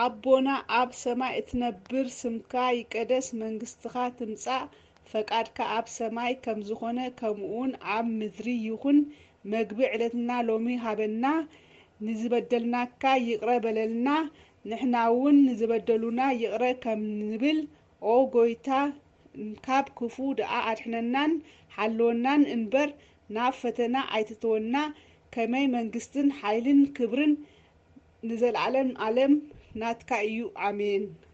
ኣቦና ኣብ ሰማይ እትነብር፣ ስምካ ይቀደስ፣ መንግስትኻ ትምጻእ፣ ፈቃድካ ኣብ ሰማይ ከም ዝኾነ ከምኡውን ኣብ ምድሪ ይኹን። መግቢ ዕለትና ሎሚ ሃበና። ንዝበደልናካ ይቕረ በለልና፣ ንሕና እውን ንዝበደሉና ይቕረ ከም ንብል። ኦ ጎይታ፣ ካብ ክፉ ደኣ ኣድሕነናን ሓልወናን እንበር፣ ናብ ፈተና ኣይትእትወና። ከመይ መንግስትን ሓይልን ክብርን ንዘለዓለም ዓለም ናትካ እዩ። ኣሜን።